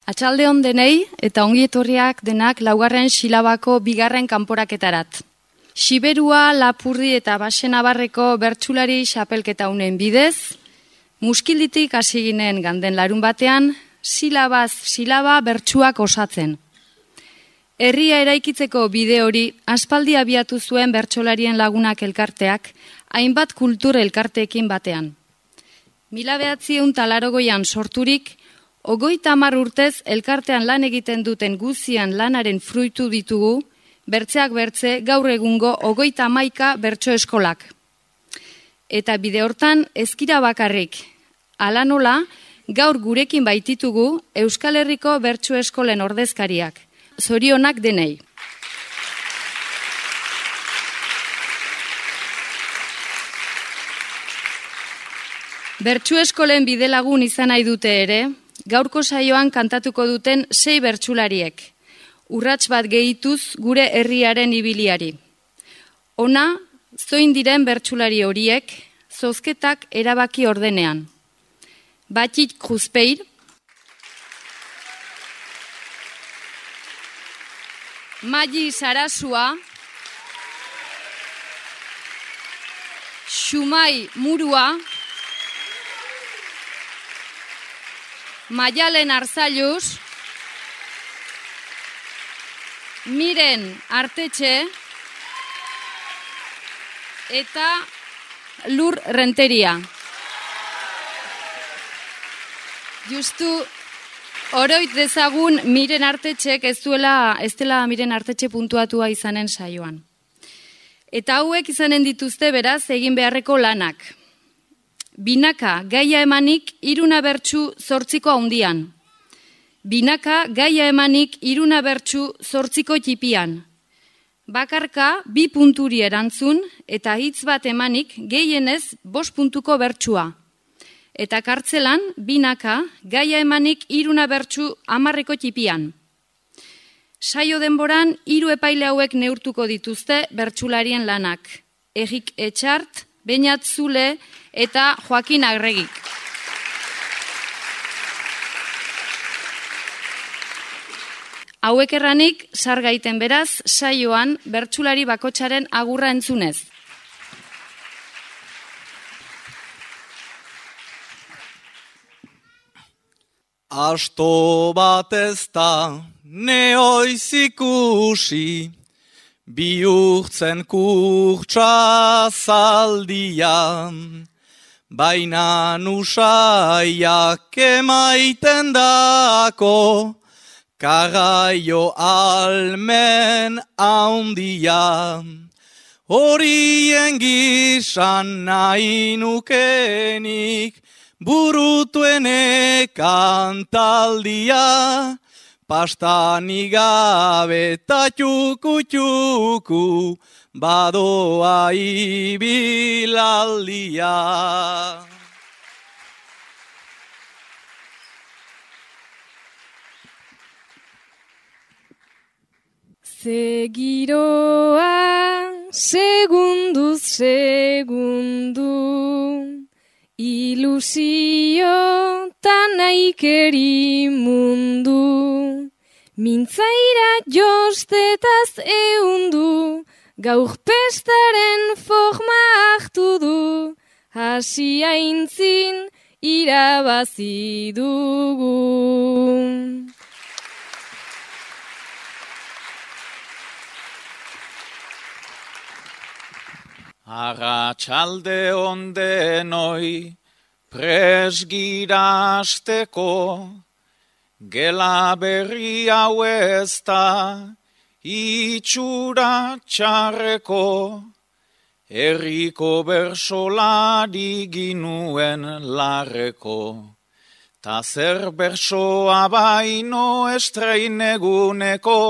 Atxalde on denei eta ongi etorriak denak laugarren silabako bigarren kanporaketarat. Siberua, Lapurdi eta Baxenabarreko bertsulari xapelketa unen bidez, Muskilditik hasi ginen ganden larun batean, silabaz silaba bertsuak osatzen. Herria eraikitzeko bide hori aspaldi abiatu zuen bertsolarien lagunak elkarteak, hainbat kultur elkarteekin batean. 1980an sorturik, 30 urtez elkartean lan egiten duten guzian lanaren fruitu ditugu, bertzeak bertze gaur egungo 31 bertso eskolak. Eta bide hortan ezkira bakarrik. Hala nola, gaur gurekin baititugu Euskal Herriko bertso eskolen ordezkariak. Zorionak denei. Bertso eskolen bidelagun izan nahi dute ere, gaurko saioan kantatuko duten 6 bertsulariek. Urrats bat gehituz gure herriaren ibiliari. Ona, zoin diren bertsulari horiek, zozketak erabaki ordenean. Batik Kruzpeir, Magi Sarasua, Xumai Murua, Maialen Arzalluz, Miren Artetxe eta Lur Renteria. Justu oroit dezagun Miren Artetxek ez dela Miren Artetxe puntuatua izanen saioan. Eta hauek izanen dituzte beraz egin beharreko lanak. Binaka gaia emanik 3 bertsu 8 haundian. Binaka gaia emanik 3 bertsu 8 txipian. Bakarka 2 punturi erantzun eta hitz bat emanik gehienez 5 puntuko bertsua. Eta kartzelan binaka gaia emanik 3 bertsu 10 txipian. Saio denboran 3 epaile hauek neurtuko dituzte bertsularien lanak. Egik Etxart, Beñat Zule eta Joakin Arregik. Hauek erranik, sargaiten beraz, saioan bertsulari bakotsaren agurra entzunez. Asto bat ez da neoiz ikusi, bihurtzen kurtsa zaldian, baina usaiak emaiten dako, kagaio almen haundia. Horien gizan nahi nukenik, burutuene kantaldia, pastanik gabe eta txuku-txuku, badoa ibilaldia. Segiroa, segunduz segundu, ilusio tanaikeri mundu, mintzaira jostetaz eundu, gaur pestaren forma hartu du, hasi aintzin irabazi dugu. Arratsalde on denoi, presgira hasteko, gela berri hau ez da, itxura txarreko, herriko bersolari ginuen larreko, ta zer bersoa baino estreineguneko,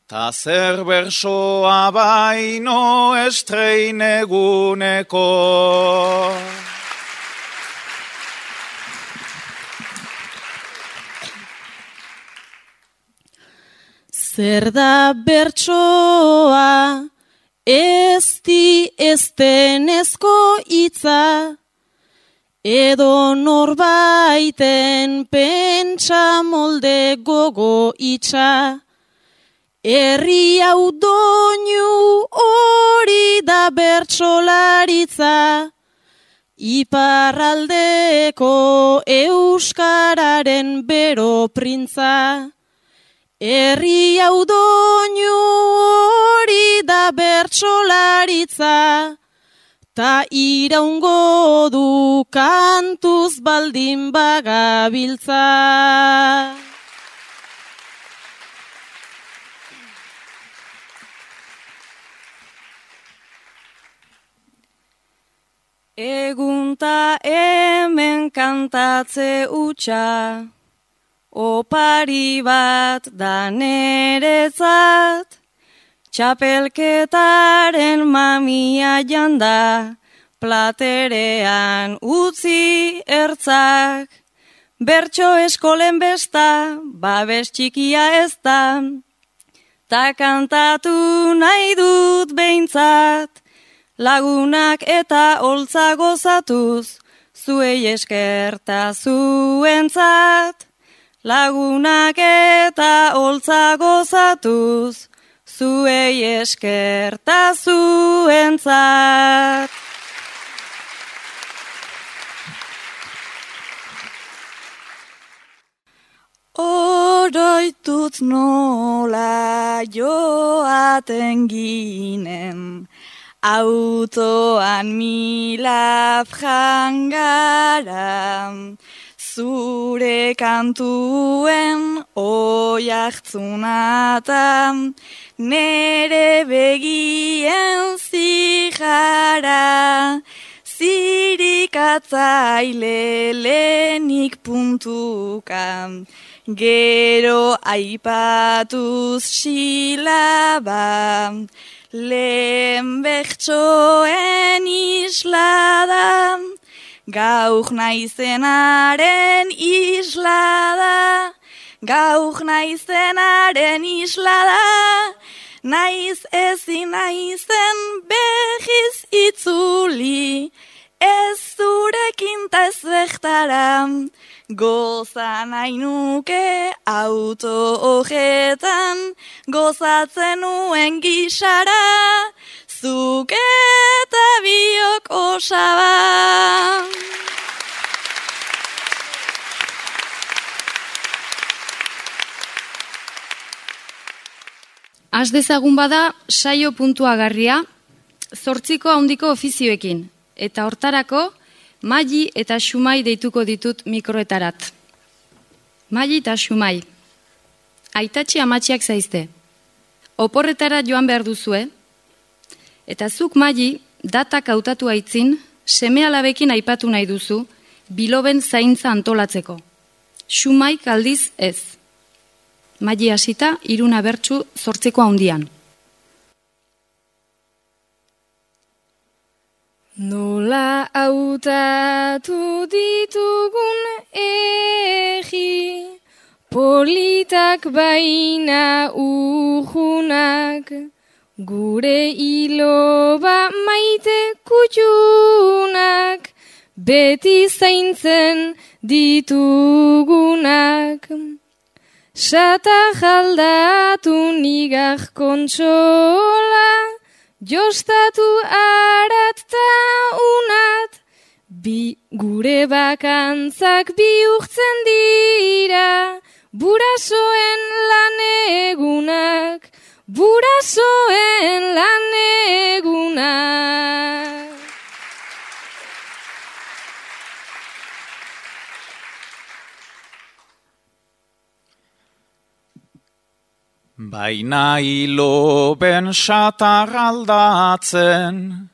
ta zer bersoa baino estreineguneko. Zer da bertsoa, ez di eztenezko hitza, edo norbaiten pentsa molde gogo itxa. Herri hau doinu hori da bertsolaritza, iparraldeko euskararen bero printza. Herri hau doinu hori da bertsolaritza, ta iraungo du kantuz baldin bagabiltza. Egunta hemen kantatze utxa, opari bat da neretzat, txapelketaren mamia janda, platerean utzi ertzak, bertso eskolen besta, babes txikia ez da, ta kantatu nahi dut behintzat, lagunak eta holtza gozatuz, zuei eskerta zuentzat. Lagunak eta holtza gozatuz, zuei eskerta zuentzat. Oroitut nola joaten ginen, autoan milaf jangara, zure kantuen oiartzunatan, nere begien zijara, zirikatzaile lehenik puntukan, gero aipatuz silaba, lehen bertsoen islada, gauk naizenaren islada, gauk naizenaren islada, naiz ezin naizen behiz itzuli, ez zurekin ta ez bertara, goza nahi nuke auto hojetan, gozatzen nuen gisara, zuk eta biok osaba. Has dezagun bada saio puntuagarria, 8 handiko ofizioekin, eta hortarako Maili eta Xumai deituko ditut mikroetarat. Maili eta Xumai, aitatxi amatxiak zaizte. Oporretara joan behar duzue, eta zuk Maili datak hautatu aitzin, seme-alabekin aipatu nahi duzu, biloben zaintza antolatzeko. Xumai aldiz ez. Maili hasita, 3 bertsu 8 handian. Nola hautatu ditugun egi, politak baina ujunak, gure iloba maite kutxunak, beti zaintzen ditugunak. Sata jaldatu nigak kontsola, jostatu arat ta unat, gure bakantzak bihurtzen dira, burasoen lanegunak, burasoen lanegunak. Baina iloben satar aldatzen,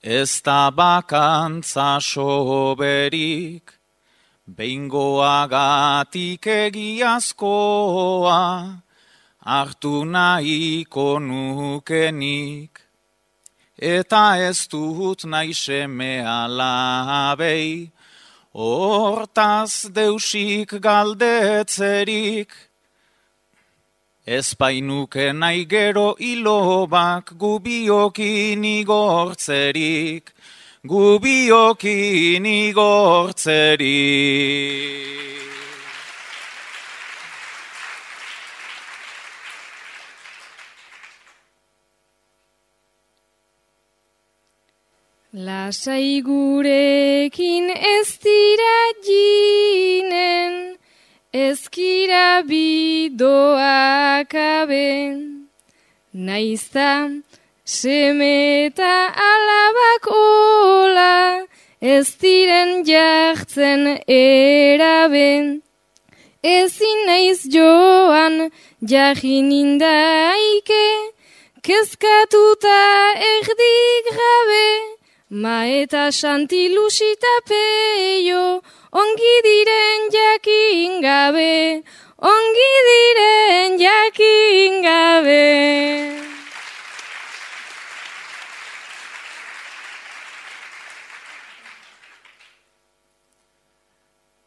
ez da bakantza soberik, behingoagatik egiazkoa, hartu nahiko nukenik, eta ez dut nahi seme alabei, hortaz deusik galdetzerik, ez bainuke nahi gero ilobak gubiokin igortzerik, gubiokin igortzeri. Lasai gurekin ez dira jinen, ezkira bidoak aben, naizta seme eta alabak ola, ez diren jartzen eraben. Ezin naiz joan jajin indaike, kezkatuta erdik gabe, ma eta Santi Lusita Peio, ongi diren jakin gabe, ongi diren jakin gabe.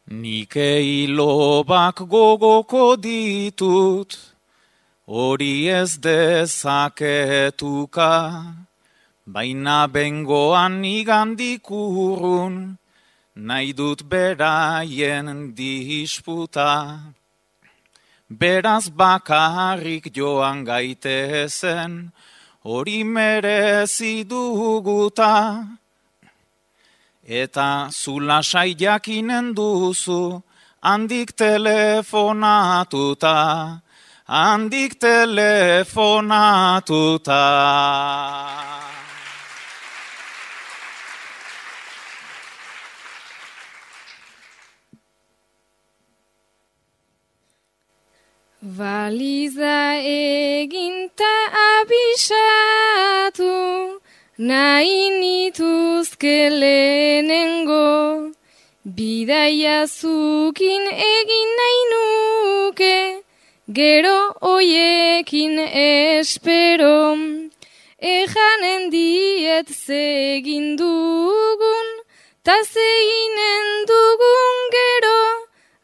Nike ilobak gogoko ditut, hori ez dezaketuka, baina bengoan igandik urrun, nahi dut beraien disputa. Beraz bakarrik joan gaitezen, hori merezi duguta. Eta zu lasai jakinen duzu, handik telefonatuta, handik telefonatuta. Baliza eginta abisatu, nahi nituzke lehenengo, bidaia zukin egin nahi nuke, gero oiekin espero, ejanen diet zegin dugun, ta zeginen dugun gero,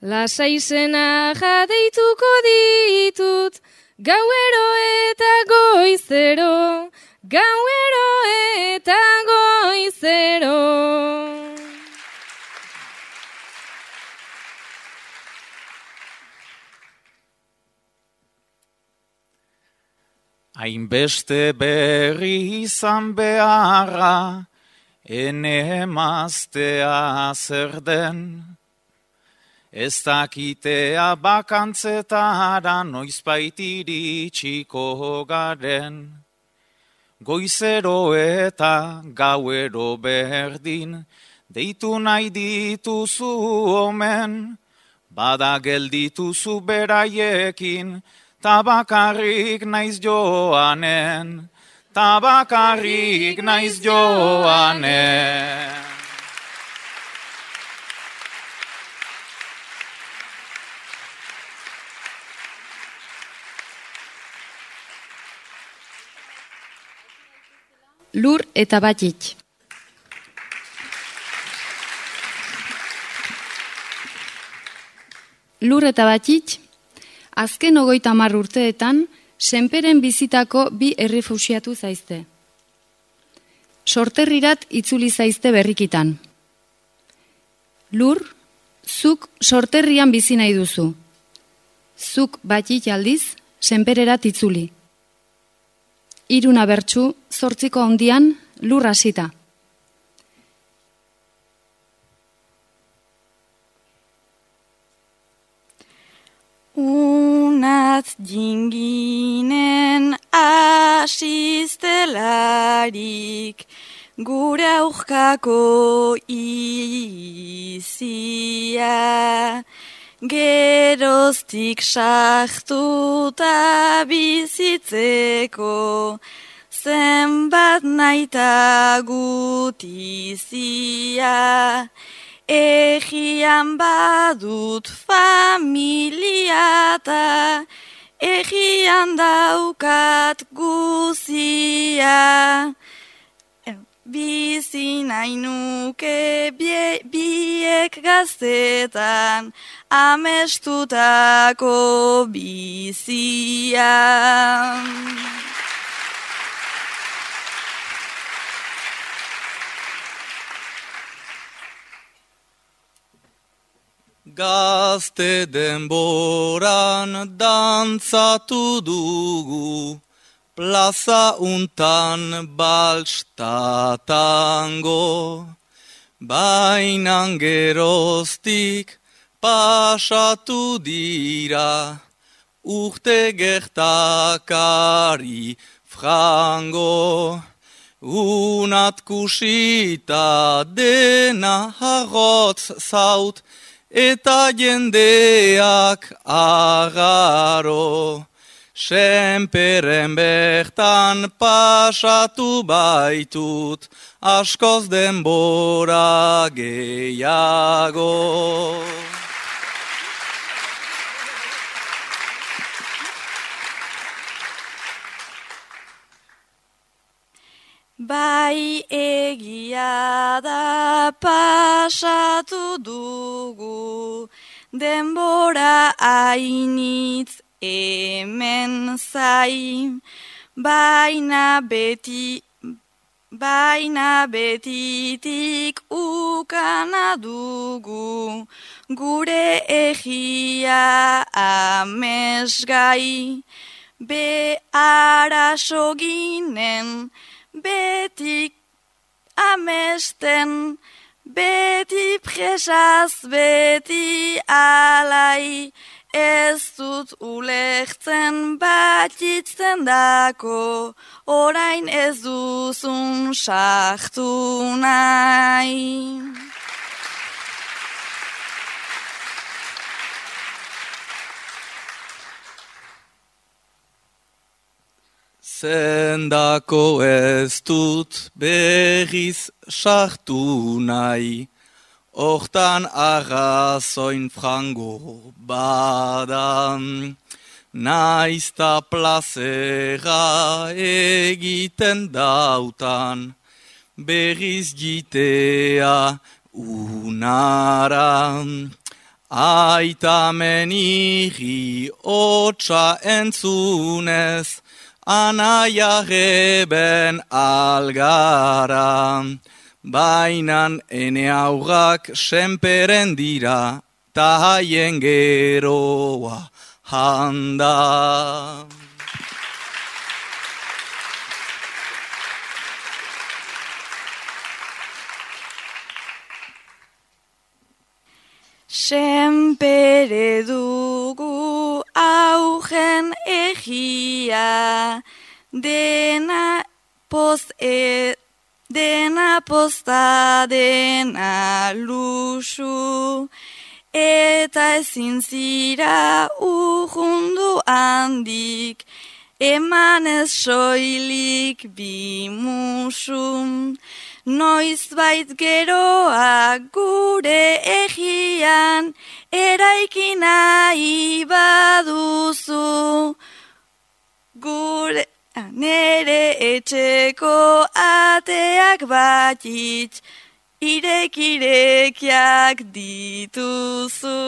lasai zena jadeituko ditut, gauero eta goizero, gauero eta goizero. Hainbeste berri izan beharra, ene emaztea zer den. Ez dakitea bakantzetara noizbait iritsiko garen. Goizero eta gauero berdin, deitu nahi dituzu omen, bada geldituzu beraiekin, tabakarrik naiz joanen, tabakarrik naiz joanen. Lur eta Batxitx. Lur eta Batxitx, azken 30 urteetan, senperen bizitako 2 errefuxiatu zaizte. Sorterrirat itzuli zaizte berrikitan. Lur, zuk sorterrian bizi nahi duzu. Zuk Batxitx aldiz, senpererat itzuli. 3 abertsu, 8 handian, Lur hasita. Unat jinginen asiztelarik, gure aurkako izia, geroztik sartuta bizitzeko, zenbat naita gutizia, egian badut familia ta, egian daukat guzia. Bizi nahi nuke biek gaztetan, amestutako bizia. Gazte denboran dantzatu dugu, plaza untan baltstatango. Bainan geroztik pasatu dira, urte gertakari frango. Unat kusita dena harrotz zaut, eta jendeak agaro. Senperen bertan pasatu baitut, askoz denbora gehiago. Bai egia da pasatu dugu, denbora ainitz hemen zai, baina betitik ukana dugu, gure egia amesgai, be araso ginen, betik amesten, beti presaz, beti alai, ez dut ulertzen batitzen dako, orain ez duzun sartu nahi. Zendako ez dut berriz sartu nahi, hortan arrazoin frango badan, naizta plazera egiten dautan, berriz jitea unaran. Aitamen irri hotsa entzunez, anaia reben algara, bainan ene aurrak senperen dira, ta haien geroa handa. Senpere dugu augen egia, dena posta dena luxu, eta ezin zira urrundu handik, emanez soilik bimusun. Noizbait geroa gure egian, eraiki nahi baduzu, gure nere etxeko ateak batitz, irekirekiak dituzu.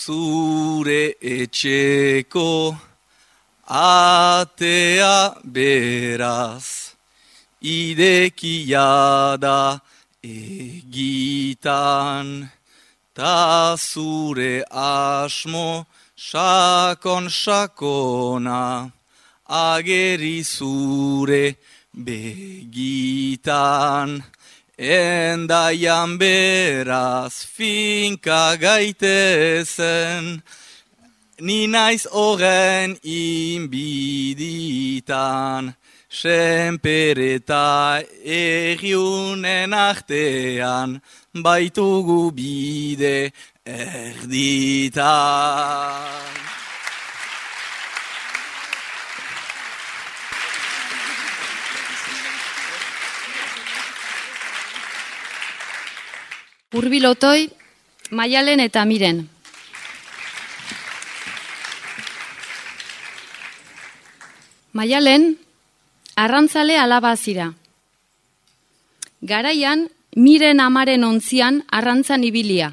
Zure etxeko atea beraz, irekia da egitan, ta zure asmo sakona, ageri zure begitan. Endaian beraz finka gaitezen, ni naiz horren inbiditan, senpere eta erriunen artean, baitugu bide erditan. Urbil Otoi, Maialen eta Miren. Maialen, arrantzale alaba zira. Garaian, Miren amaren ontzian arrantzan ibilia.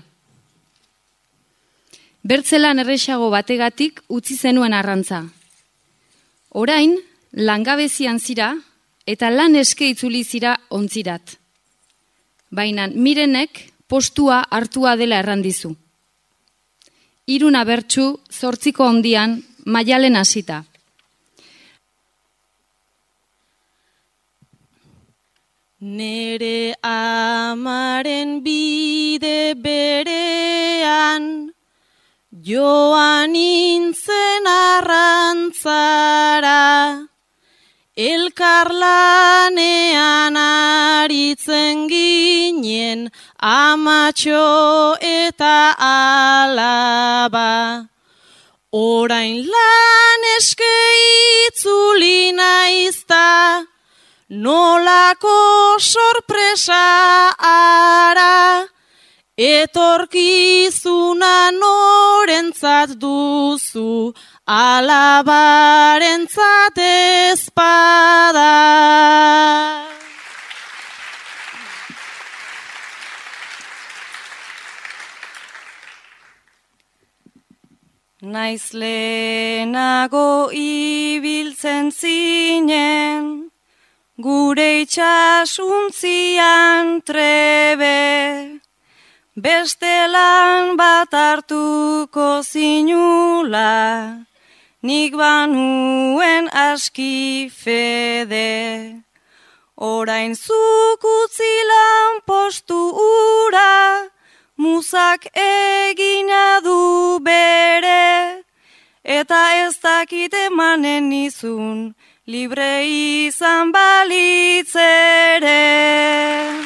Bertzelan erresago bategatik utzi zenuen arrantza. Orain, langabezian zira eta lan eske itzuli zira ontzirat. Baina Mirenek postua hartua dela errandizu. 3 abertsu 8 ondian Maialen hasita. Nere amaren bide berean, joan nintzen arrantzara, elkarlanean aritzen ginen, amatxo eta alaba. Orain lan eske itzuli naizta, nolako sorpresa ara, etorkizuna norentzat duzu, alabarentzat ezpada. Naiz lehenago ibiltzen zinen, gure itxasuntzian trebe, beste lan bat hartuko zinula, nik banuen aski fede. Orain zuk utzi lan postu ura, muzak egina du bere, eta ez dakit emanen nizun, libre izan balitz ere.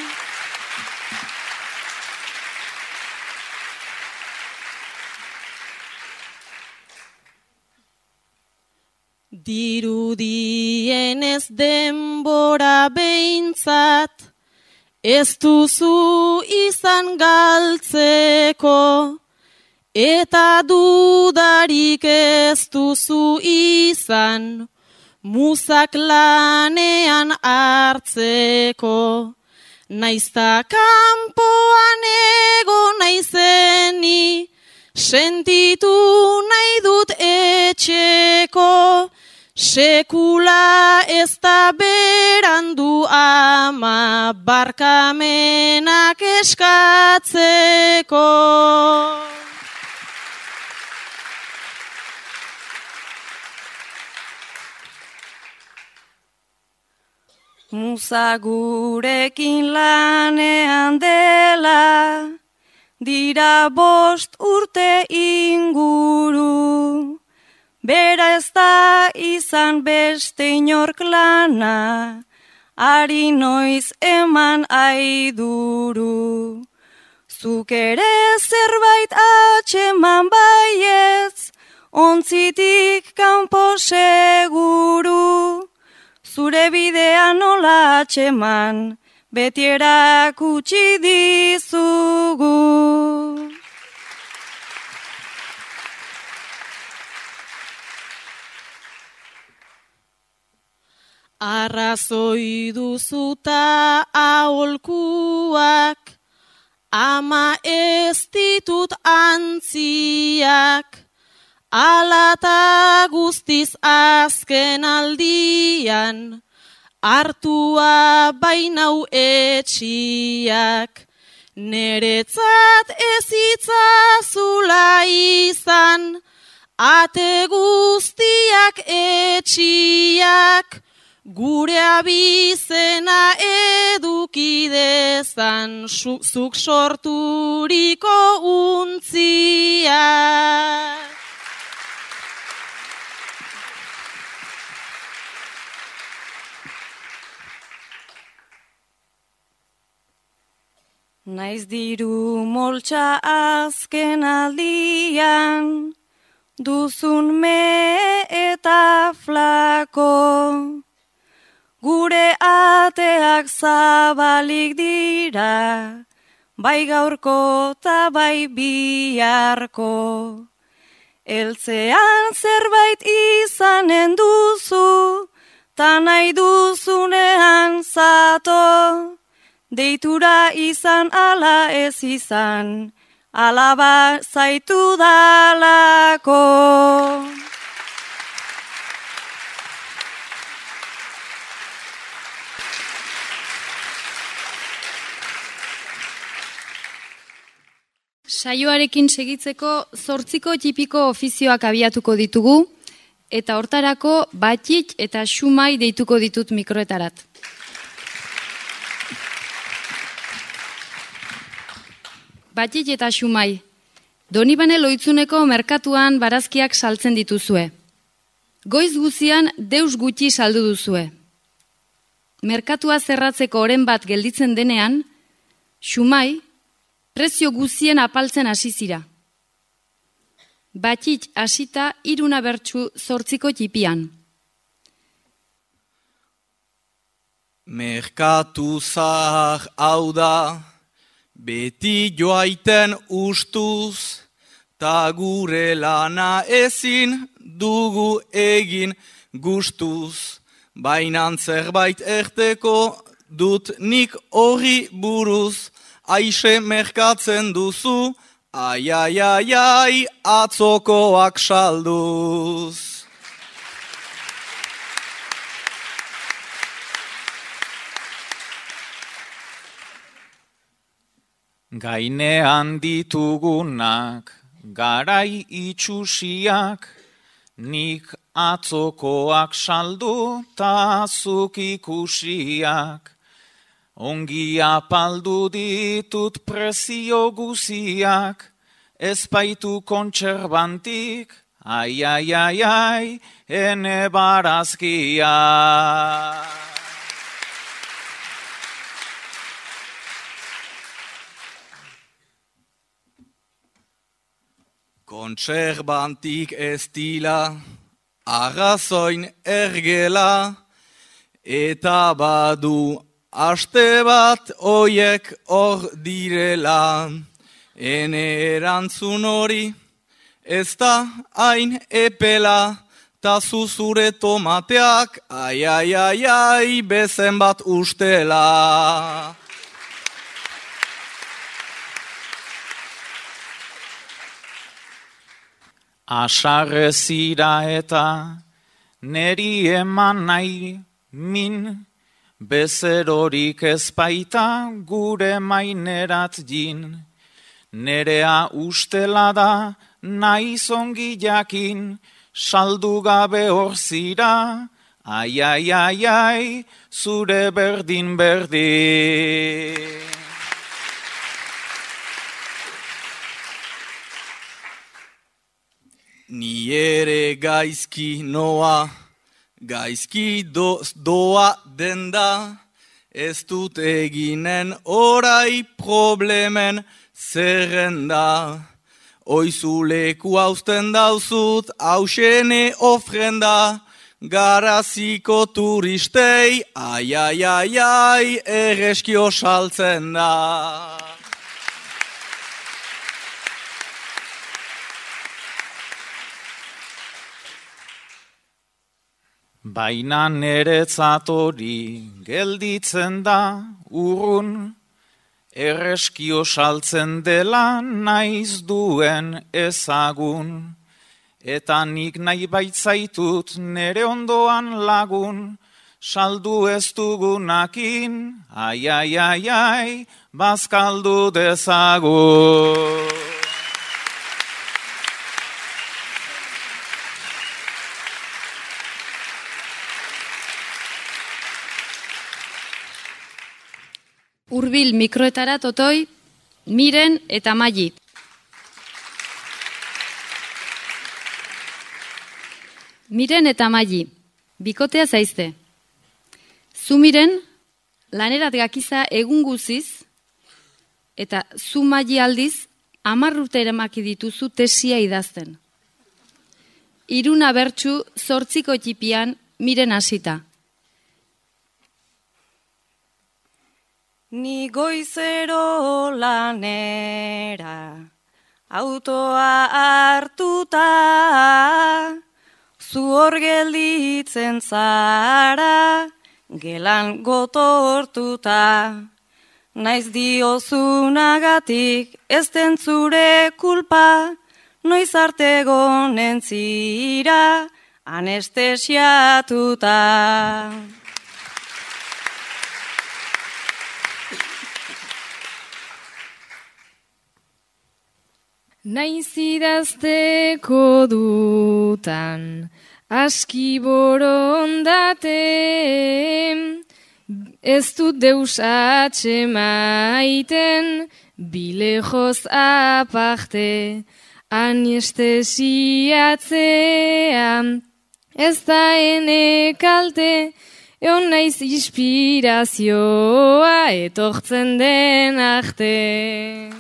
Dirudienez denbora behintzat, ez duzu izan galtzeko, eta dudarik ez duzu izan, muzak lanean hartzeko. Naizta kanpoan ego naizeni, sentitu nahi dut etxeko, sekula ez da berandu ama, barkamenak eskatzeko. Muza gurekin lanean dela, dira 5 urte inguru. Bera ez da izan beste inork lana, ari noiz eman aiduru. Zuk ere zerbait atxeman baietz, ontzitik kanpo seguru. Zure bidea nola atxeman, beti erakutsi dizugu. Arrazoi duzuta aholkuak, ama ez ditut antziak, alata guztiz azken aldian, hartua bainau etxiak, neretzat ez itzazula izan, ate guztiak etxiak, gure abizena edukidezan, zuk sorturiko untziak. Naiz diru moltsa azken aldian, duzun me eta flako. Gure ateak zabalik dira, bai gaurko ta bai biharko. Eltzean zerbait izanen duzu, ta nahi duzunean zato. Deitura izan ala ez izan, alaba zaitu dalako. Saioarekin segitzeko 8 tipiko ofizioak abiatuko ditugu, eta hortarako Batxit eta Xumai deituko ditut mikroetarat. Batxit eta Xumai, Donibane Loitzuneko merkatuan barazkiak saltzen dituzue. Goiz guzian deus gutxi saldu duzue. Merkatua zerratzeko oren bat gelditzen denean, Xumai, prezio guzien apaltzen hasi zira. Batxit hasita 3 bertsu 8 tipian. Merkatu zahar hau da, beti joaiten ustuz, ta gure lana ezin dugu egin gustuz. Bainan zerbait erteko dut nik horri buruz, aixe merkatzen duzu, ai, ai, ai, ai, atzokoak salduz. Gainean ditugunak, garai itxusiak, nik atzokoak saldu ta zuk ikusiak. Ongi apaldu ditut prezio guziak, ez baitu kontserbantik, ai, ai, ai, ai, ene barazkia. Kontserbantik ez dila, arrazoin ergela, eta badu aste bat oiek hor direla. Ene erantzun hori ez da hain epela, ta zuzure tomateak, ai, ai, ai, ai, bezen bat ustela. Asarrezira eta neri eman nahi min, bezerorik ez baita gure mainerat jin. Nerea ustela da naiz ongi jakin, saldu gabe hor zira, ai, ai, ai, ai, zure berdin berdin. Ni ere gaizki noa, gaizki doa denda, ez dut eginen orai problemen zerrenda. Oizu leku hausten dauzut, hausene ofrenda, garaziko turistei, ai, ai, ai, ai, erreskio saltzen da. Baina neretzat hori gelditzen da urrun, erreskio saltzen dela naiz duen ezagun. Eta nik nahi baitzaitut nere ondoan lagun, saldu ez dugunakin, ai, ai, ai, ai, bazkaldu dezagun. Hurbil mikroetara totoi, Miren eta Maili. Miren eta Maili, bikotea zaizte. Zu Miren, lanerat gakiza egun guziz, eta zu Maili aldiz, 10 urte eremaki dituzu tesia idazten. 3 bertsu 8 tipian Miren hasita. Ni goizero lanera, autoa hartuta, zu hor gelditzen zara, gelan gotortuta. Naiz diozunagatik ez den zure kulpa, noiz arte gonen zira, anestesiatuta. Naiz idazteko dutan, aski borondate, ez dut deus atxemaiten, bilejoz aparte, anestesiatzea, ez da ene kalte, egon naiz inspirazioa etortzen den arte.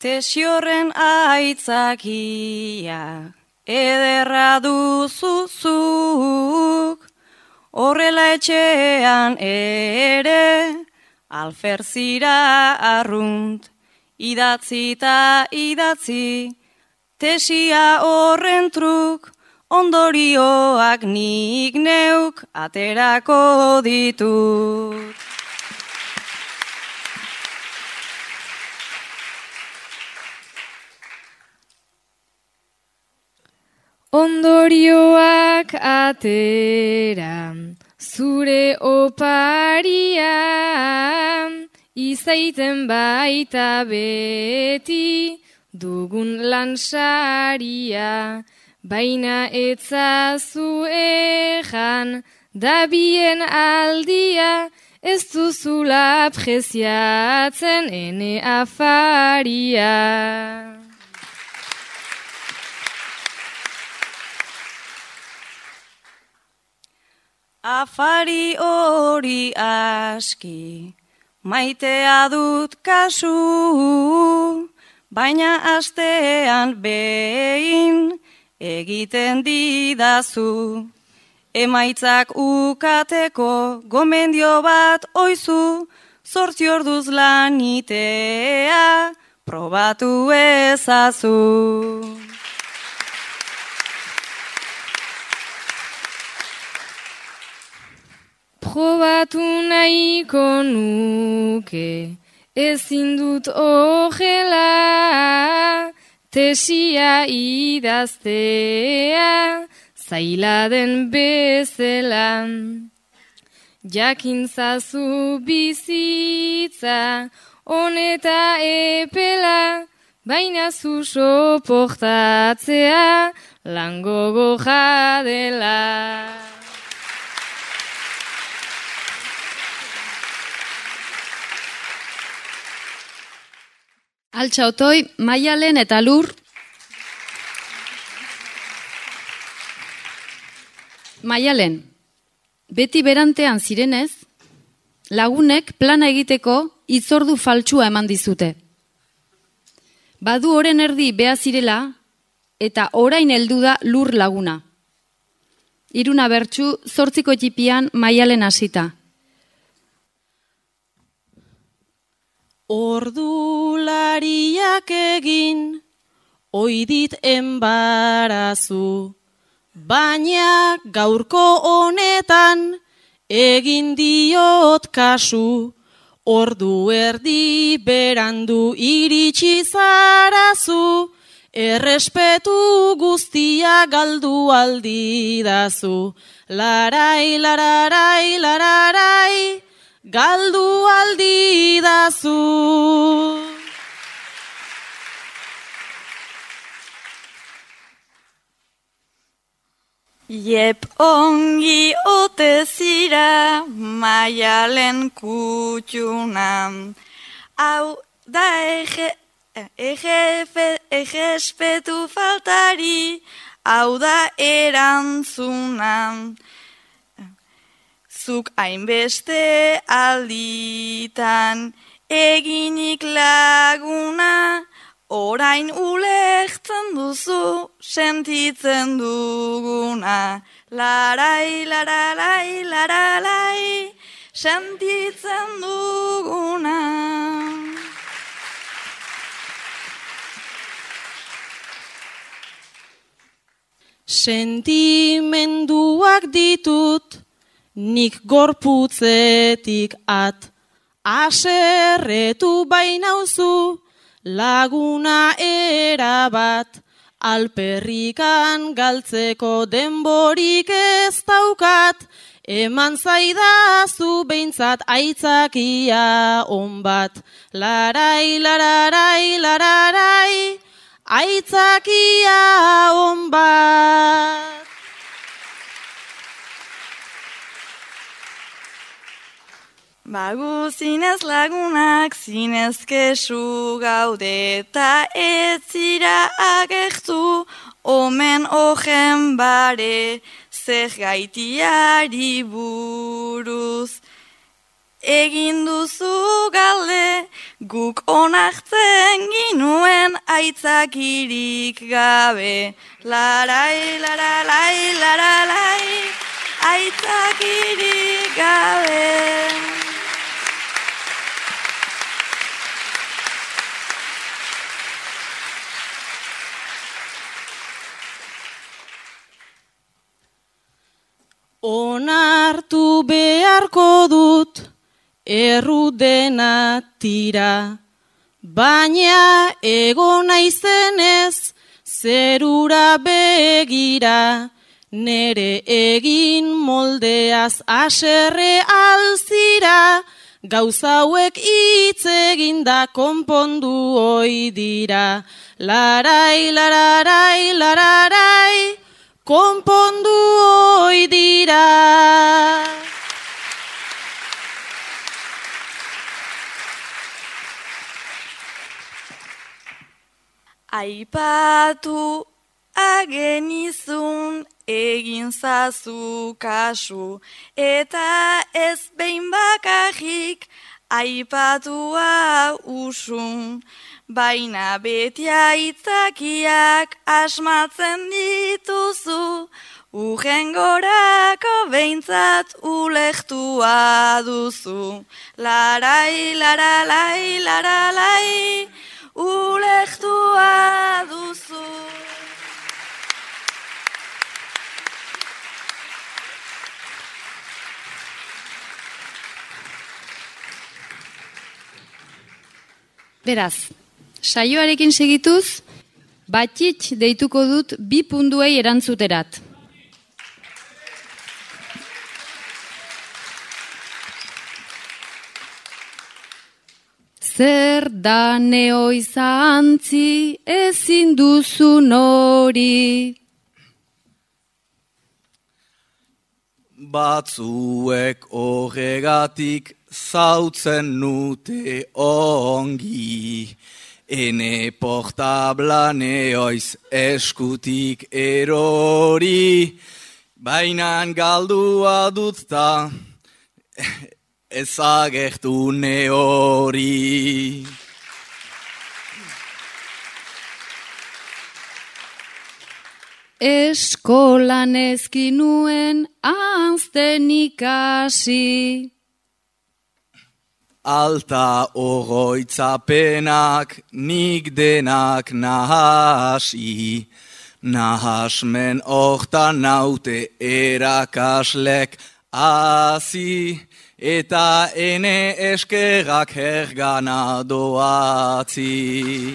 Tesi-horren aitzakia, ederra duzuzuk, horrela etxean ere, alferzira arrunt, idatzi ta idatzi, tesia horren truk, ondorioak nik neuk aterako ditut. Ondorioak atera, zure oparia, izaiten baita beti dugun lansaria, baina etzazu ejan, da bien aldia, ez duzula preziatzen ene afaria. Afari hori aski, maitea dut kasu, baina astean behin egiten didazu. Emaitzak ukateko gomendio bat oizu, 8 orduz lanitea probatu ezazu. Probatu nahiko nuke, ezin dut ogela, tesia idaztea, zaila den bezala. Jakintzazu bizitza, honeta epela, baina zu soportatzea, langogo jadela. Altxa Otoi, Maialen eta Lur. Maialen, beti berantean zirenez, lagunek plana egiteko hitzordu faltsua eman dizute. Badu oren erdi beha zirela, eta orain heldu da Lur laguna. Iruna bertsu 8 txipian Maialen hasita. Ordulariak egin, oidit enbarazu, baina gaurko honetan egin diot kasu, ordu erdi berandu iritsi zarazu, errespetu guztia galdu aldidazu, larai, lararai, lararai, galdu aldidazu. Iep ongi ote zira Maialen kutxuna, hau da egespetu faltari, hau da erantzuna. Zuk hainbeste alditan eginik laguna, orain ulertzen duzu sentitzen duguna. Larai, lararai, lararai, sentitzen duguna. Sentimenduak ditut, nik gorputzetik at, aserretu bainauzu, laguna erabat, Alperrikan galtzeko denborik ez daukat, eman zaidazu behintzat aitzakia onbat. Larai, lararai, lararai, aitzakia onbat. Bagu zinez lagunak, zinez kesu gaude, eta ez zira agertu, omen ojen bare, zer gaitiari buruz. Egin duzu galde, guk onartzen ginuen aitzakirik gabe. Larai, laralai, laralai, aitzakirik gabe. Onartu beharko dut, errudena tira, baina ego naizenez, zerura begira, nere egin moldeaz aserre alzira, gauza hauek hitz eginda konpondu ohi dira. Larai, lararai, lararai, konpondu ohi dira. Aipatu agenizun egin zazu kasu, eta ez behin bakarrik aipatua usun. Baina beti aitzakiak asmatzen dituzu, urrengorako behintzat ulektua duzu. Larai, laralai, laralai, ulektua duzu. Beraz, saioarekin segituz, Batxitx deituko dut 2 puntuei erantzuterat. Zer da neoizantzi ezin duzun hori? Batzuek horregatik zautzen nute ongi. Ene portabla neoiz eskutik erori, bainan galdua dut ta ezagertu neori. Eskolan ezkinuen ahazten ikasi. Alta oroitzapenak nik denak nahasi, nahasmen hortan naute erakaslek hasi, eta ene eskerrak hergana doatzi.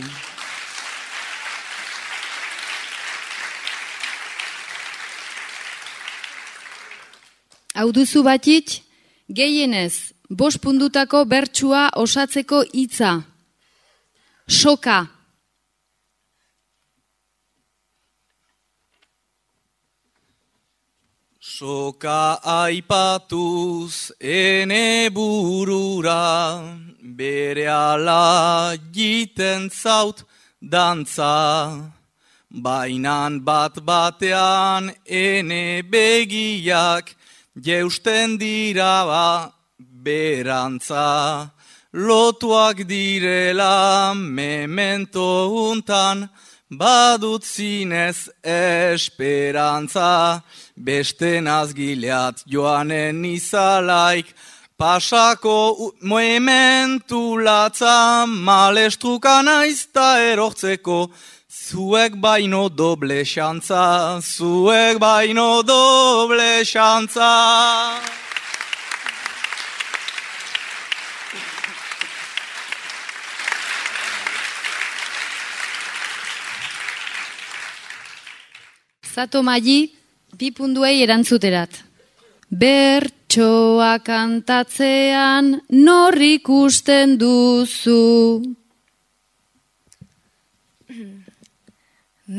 Hau duzu Batxitx, gehienez 5 puntutako bertsua osatzeko hitza. Soka. Soka aipatuz ene burura, berehala jiten zaut dantza. Bainan bat batean ene begiak jeusten dira berantza, lotuak direla memento untan, badut zinez esperantza, beste nazgileat joanen izalaik, pasako momentu latza, malestruka naizta erortzeko, zuek baino doble xantza, zuek baino doble xantza. Zato Mali, 2 puntuei erantzuterat. Bertsoa kantatzean nor ikusten duzu.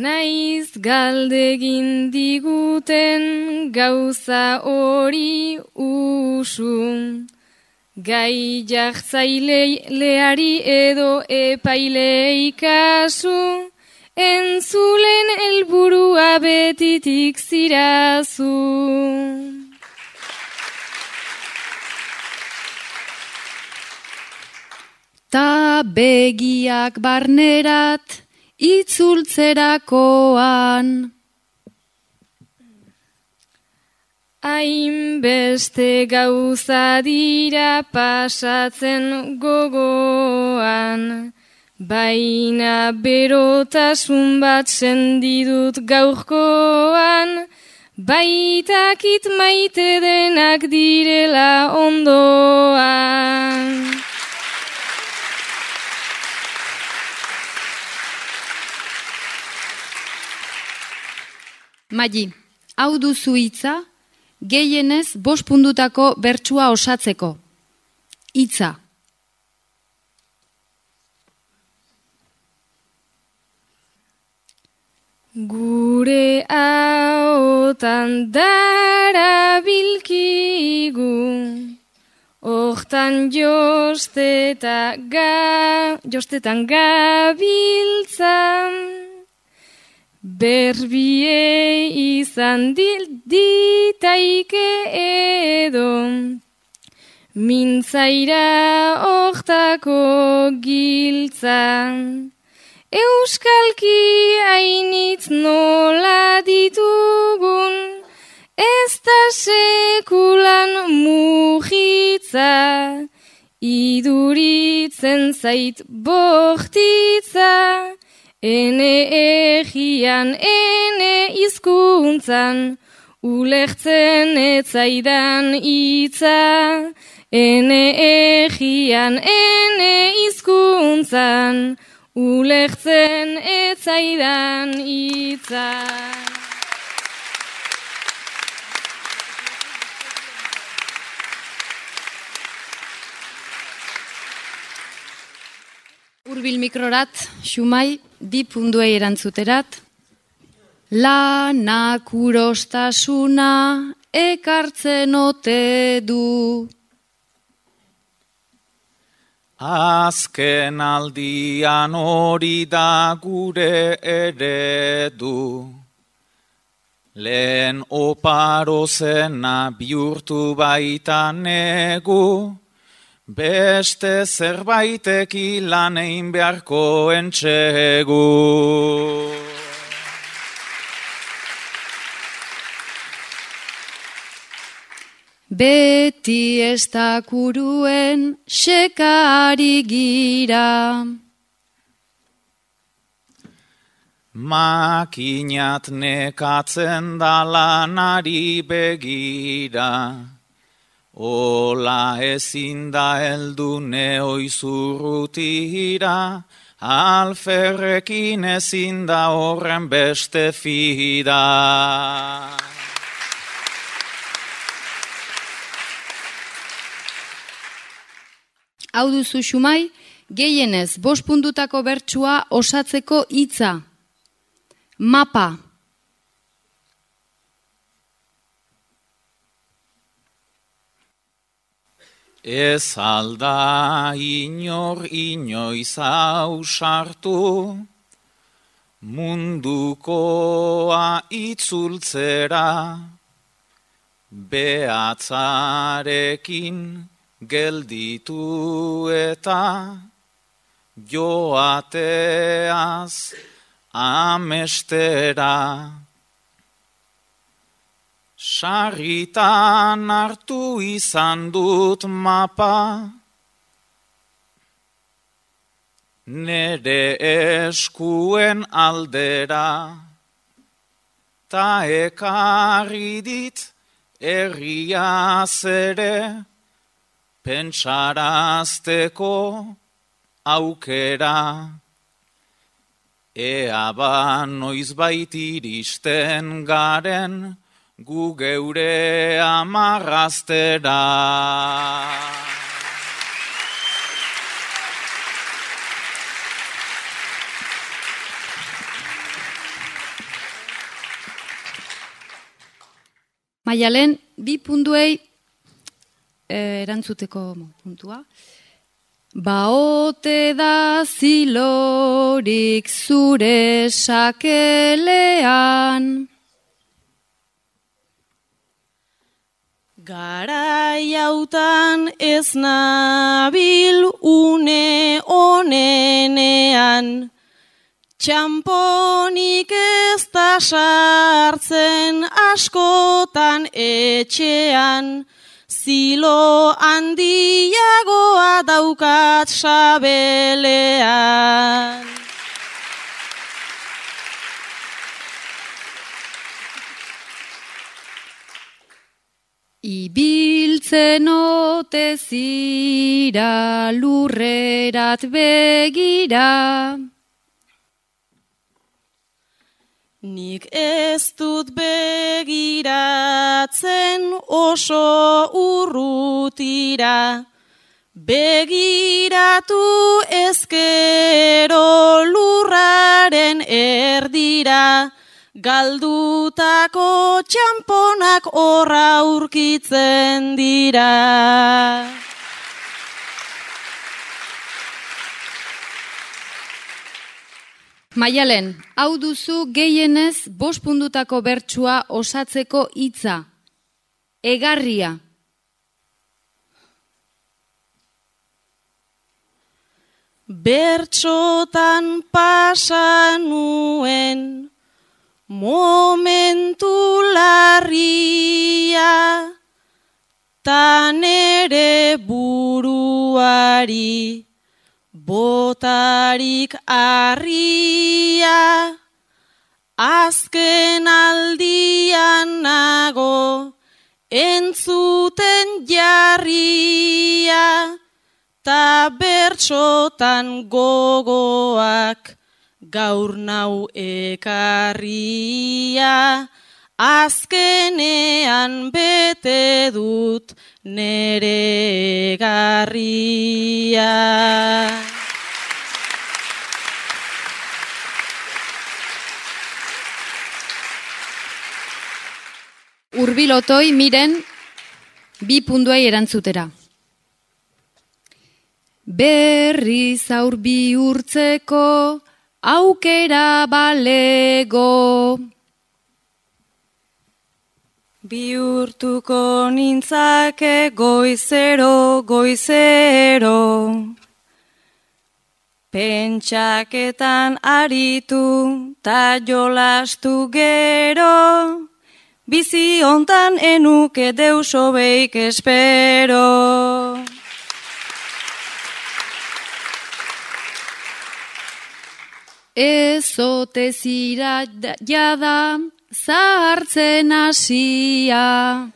Naiz galdegin diguten gauza hori usu. Gai jartzaileari edo epailei kasu. Entzulen helburua betitik zirazu. Ta begiak barnerat itzultzerakoan. Hainbeste gauza dira pasatzen gogoan. Baina berotasun bat sendidut gaurkoan, baitakit maite denak direla ondoan. Mali, hau duzu hitza, gehienez 5 puntutako bertsua osatzeko. Hitza. Gure ahotan darabilkigu, hortan jostetan gabiltzan, berbie izan ditaike edo, mintzaira hortako giltzan. Euskalki hainitz nola ditugun, ez da sekulan mujitza, iduritzen zait bortitza, ene egian, ene hizkuntzan, ulertzen etzaidan hitza, ene egian, ene hizkuntzan, ulertzen etzaidan hitza. Hurbil mikrorat, Xumai, 2 puntuei erantzuterat. Lanak urostasuna ekartzen ote du. Azken aldian hori da gure eredu. Lehen oparo zena bihurtu baita negu, beste zerbaitek lan egin beharko entxegu. Beti ez da kuruen sekari gira. Makinat nekatzen da lanari begira, ola ezin da heldu neoizurrutira, alferrekin ezin da horren beste fida. Hau duzu Xumai, gehienez 5 puntutako bertsua osatzeko hitza. Mapa. Ez alda inoiz ausartu, mundukoa itzultzera, behatzarekin gelditu eta joateaz amestera. Sarritan hartu izan dut mapa, nere eskuen aldera, ta ekarri dit herriaz ere, pentsarazteko aukera. Ea ba noizbait iristen garen, gu geure amarraztera. Maialen, bi puntuei erantzuteko puntua. Baote da zilorik zure sakelean. Garai hautan ez nabil une onenean, txamponik ez da sartzen askotan etxean, zilo handiagoa daukat sabelean. Ibiltzen ote zira lurrerat begira. Nik ez dut begiratzen oso urrutira, begiratu ezkero lurraren erdira, galdutako txamponak horra aurkitzen dira. Maialen, hau duzu gehienez 5 puntutako bertsua osatzeko hitza. Egarria. Bertsotan pasa nuen momentu larria, ta nere buruari botarik arria, azken aldian nago entzuten jarria, ta bertsotan gogoak gaur nau ekarria, azkenean bete dut nere egarria. Urbilotoi miren 2 puntuei erantzutera. Berriz aur bihurtzeko aukera balego. Bihurtuko nintzake goizero, goizero. Pentsaketan aritu ta jolastu gero. Bizi hontan enuke deus hobeik espero. Ez ote zira jada zahartzen hasia.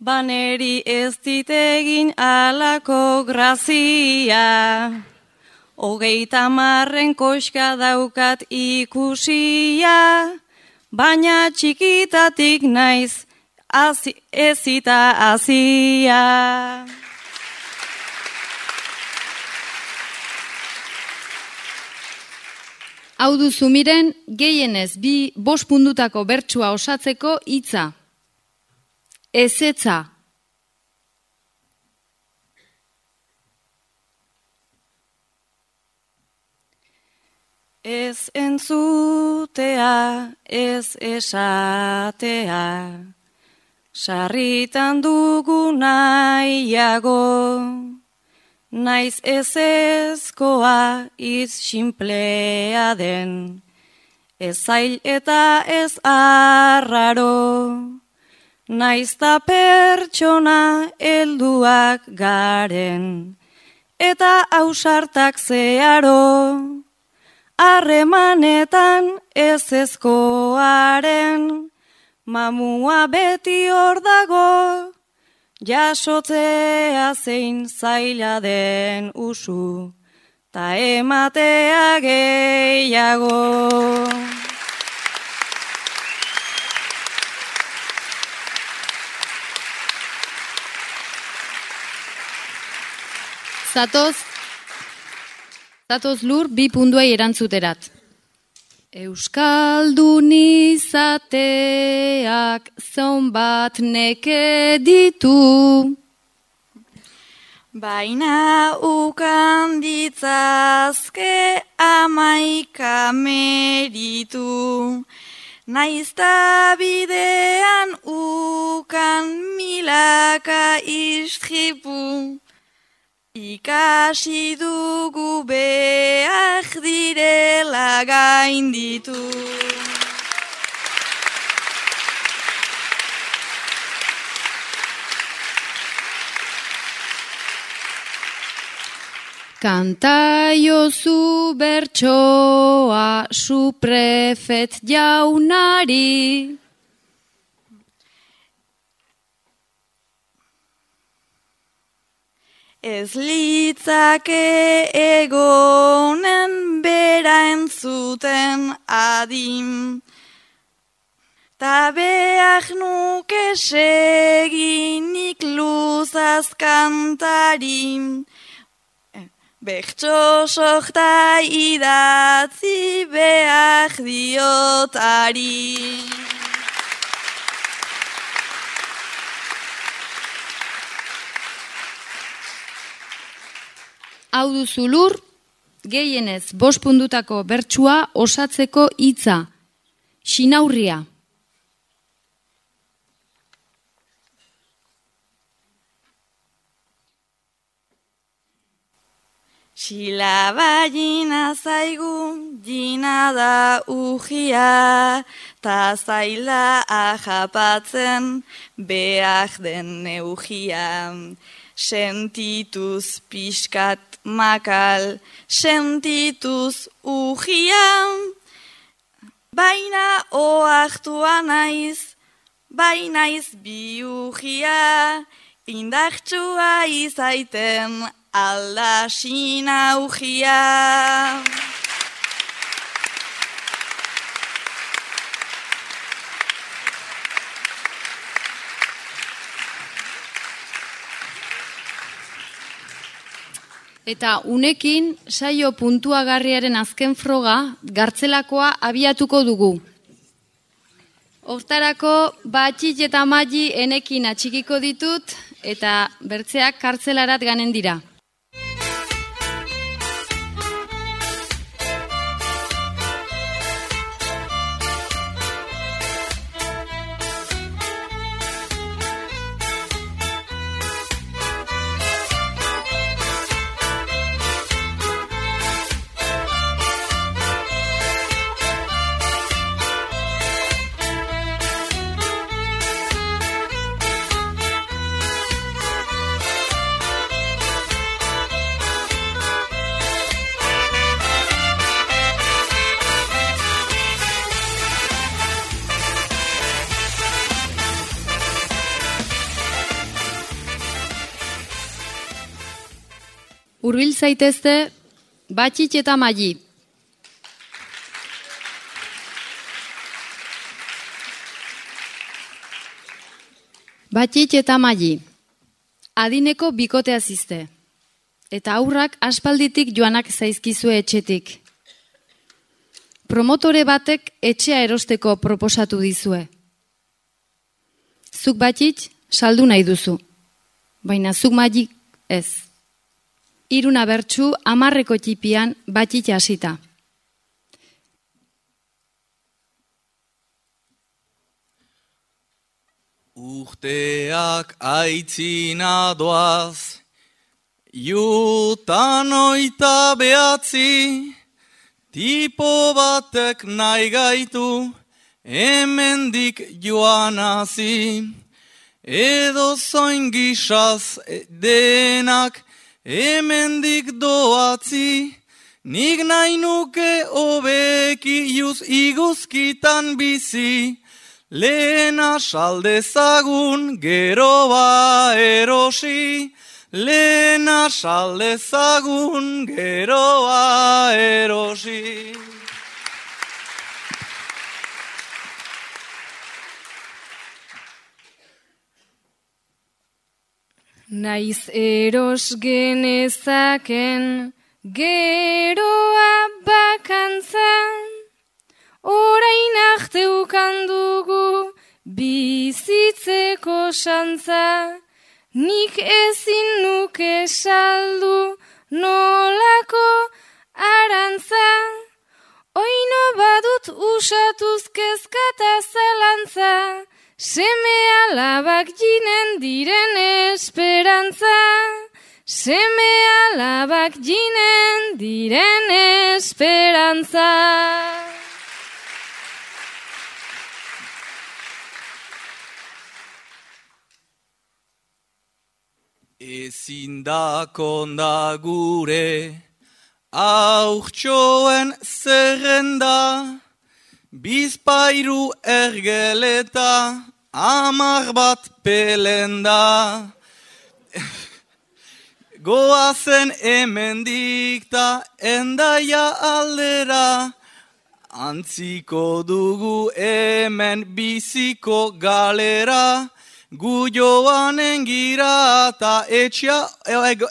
Baneri ez ditegin alako grazia. 30 koska daukat ikusia, baina txikitatik naiz ezita hasia. Hau duzu miren, gehienez 5 puntutako bertsua osatzeko hitza. Ezetza. Ez entzutea, ez esatea, sarritan dugu nahiago. Naiz ezezkoa iz sinplea den, ez zail eta ez arraro. Naiz ta pertsona helduak garen, eta ausartak zeharo. Harremanetan ezezkoaren, mamua beti hor dago. Jasotzea zein zaila den usu, ta ematea gehiago. Zatoz lur 2 puntuai erantzuterat. Euskaldun izateak zonbat neke ditu. Baina ukan ditzazke 11 meritu. Naizta bidean ukan milaka istripu. Ikasi dugu behar direla gainditu. Kantaiozu bertsoa suprefet jaunari. Ez litzake egonen bera entzuten adim. Ta behar nuke seginik luzaz kantarim. Bertso sorta idatzi behar diotari. Hau duzu lur, gehienez 5 puntutako bertsua osatzeko hitza. Xinaurria. Silaba jina zaigu, jina da ugia, ta zaila ahapatzen behar den neugia. Sentituz pixkat makal, sentituz ugia, baina oartua naiz, bainaiz biugia, indartsua izaiten alda sinaugia. Eta unekin saio puntuagarriaren azken froga gartzelakoa abiatuko dugu. Hortarako Batxit eta Mali enekin atxikiko ditut eta bertzeak kartzelarat ganen dira. Hurbil zaitezte Batxit eta Mali. Batxit eta Mali. Adineko bikotea zizte. Eta aurrak aspalditik joanak zaizkizue etxetik. Promotore batek etxea erosteko proposatu dizue. Zuk Batxit saldu nahi duzu. Baina zuk Mali ez. 3 bertsu 10 txipian Batxit hasita. Urteak aitzina doaz, jutan 29, tipo batek nahi gaitu, hemendik joanazi, edo zoin gisaz denak, hemendik doatzi, nik nahi nuke hobeki iguzkitan bizi, lehena saldezagun gero ba erosi, lehena saldezagun geroa erosi. Naiz eros genezaken geroa bakantzan, orain arte ukandugu bizitzeko xantza, nik ezin nuke saldu nolako arantza, oino badut usatuz kezkata zalantza, seme alabak jinen diren esperantza, seme alabak jinen diren esperantza. Ezin da konda gure aurtxoen zerrenda, bizpairu ergeleta, 10 bat pelenda. Goazen hemendik ta Endaia aldera, antziko dugu hemen biziko galera, gu joanen gira ta etxea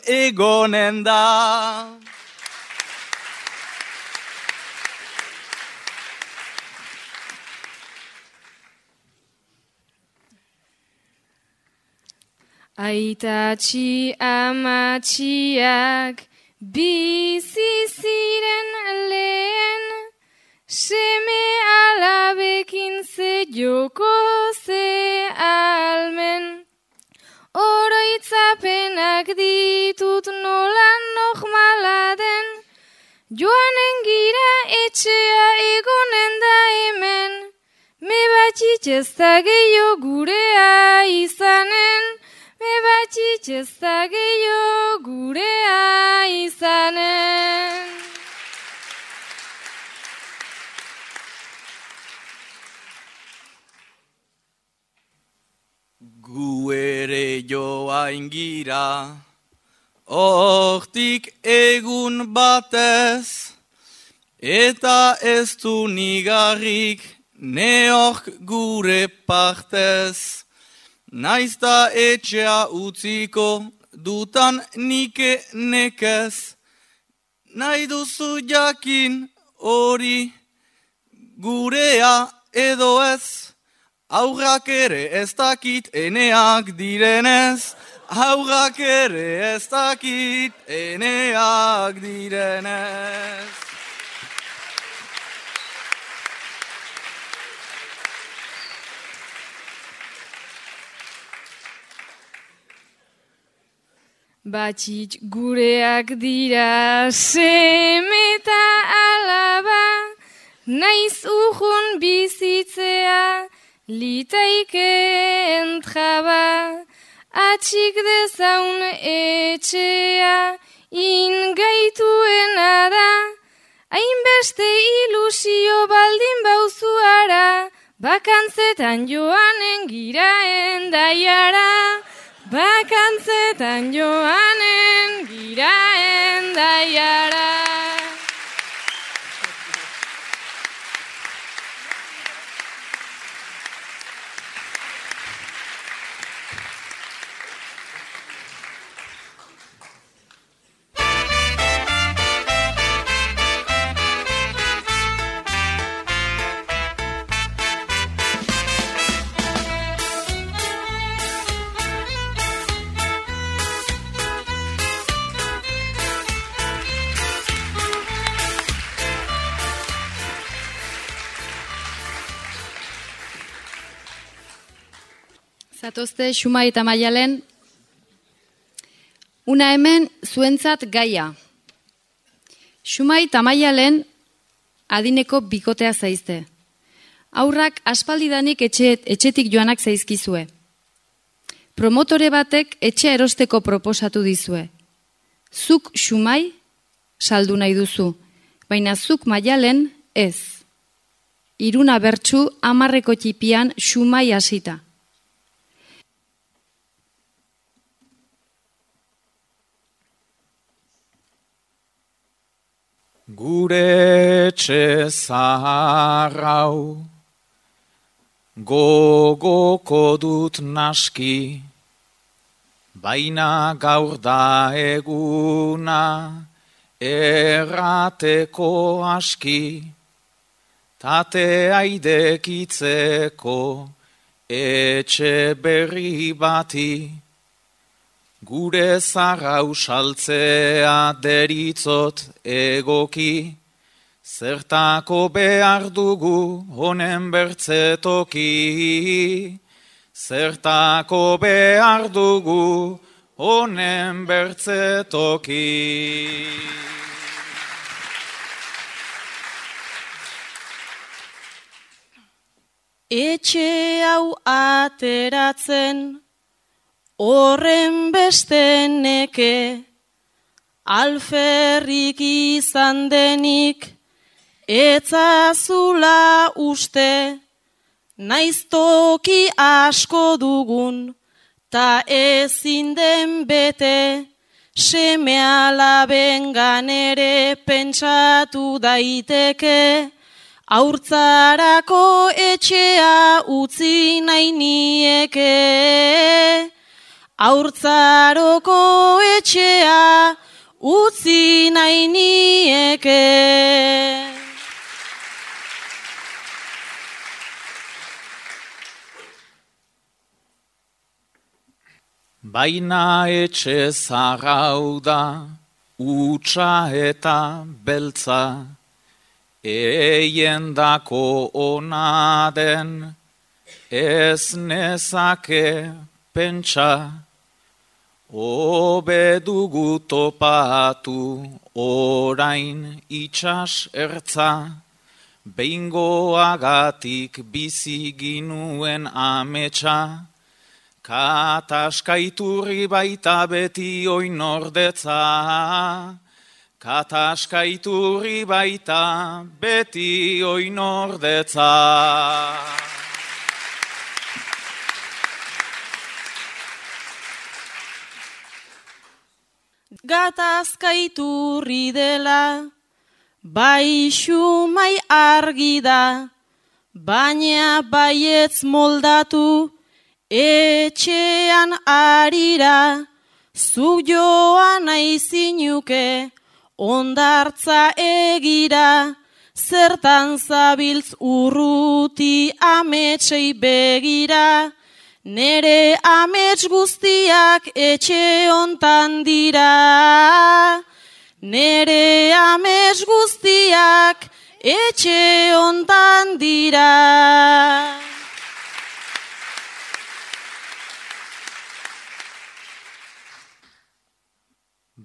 egonen da. Aitatxi amatxiak bizi ziren lehen, seme alabekin ze joko ze almen. Oroitzapenak ditut nola normala den, joanen gira etxea egonen da hemen, me batxitx ez da gehiago gurea izanen, me batxitx ez da gehiago gurea izanen. Gu ere joain gira, hortik egun batez, eta ez du nigarrik neok gure partez. Naizta etxea utziko dutan nike nekez, nahi duzu jakin hori gurea edo ez. Aurrak ere ez dakit eneak direnez, aurrak ere ez dakit eneak direnez. Batxitx gureak dira seme eta alaba, naiz urrun bizitzea litaike entraba, atxik dezaun etxea ingaituena da, hainbeste ilusio baldin bauzuara, bakantzetan joanen gira Endaiara, bakantzetan joanen gira Endaiara. Zatozte Xumai eta Maialen, una hemen zuentzat gaia. Xumai eta Maialen adineko bikotea zaizte. Aurrak aspaldidanik etxetik joanak zaizkizue. Promotore batek etxea erosteko proposatu dizue. Zuk Xumai saldu nahi duzu, baina zuk Maialen ez. 3 bertsu 10 txipian Xumai hasita. Gure etxe zahar hau gogoko dut naski, baina gaur da eguna errateko aski, tatea idekitzeko etxe berri bati, gure zarrau saltzea deritzot egoki, zertako behar dugu honen bertzetoki, zertako behar dugu honen bertzetoki. Etxe hau ateratzen, horren beste neke, alferrik izan denik, etzazula uste, naiz toki asko dugun, ta ezin den bete, seme alabengan ere pentsatu daiteke, haurtzarako etxea utzi nahi nieke, haurtzaroko etxea utzi nahi nieke. Baina etxe zarrau da, utsa eta beltza, eiendako ona den, ez nezake pentsa, hobe dugu topatu orain itsas ertza, behingoagatik bizi ginuen ametsa, kataskaiturri baita beti oinordetza, kataskaiturri baita beti oinordetza. Gatazkaiturri dela, bai xumai argi da, baina baietz moldatu, etxean arira, zuk joan aizinuke, ondartza egira, zertan zabiltz urruti ametsei begira, nere amets guztiak etxe hontan dira, nere amets guztiak etxe hontan dira.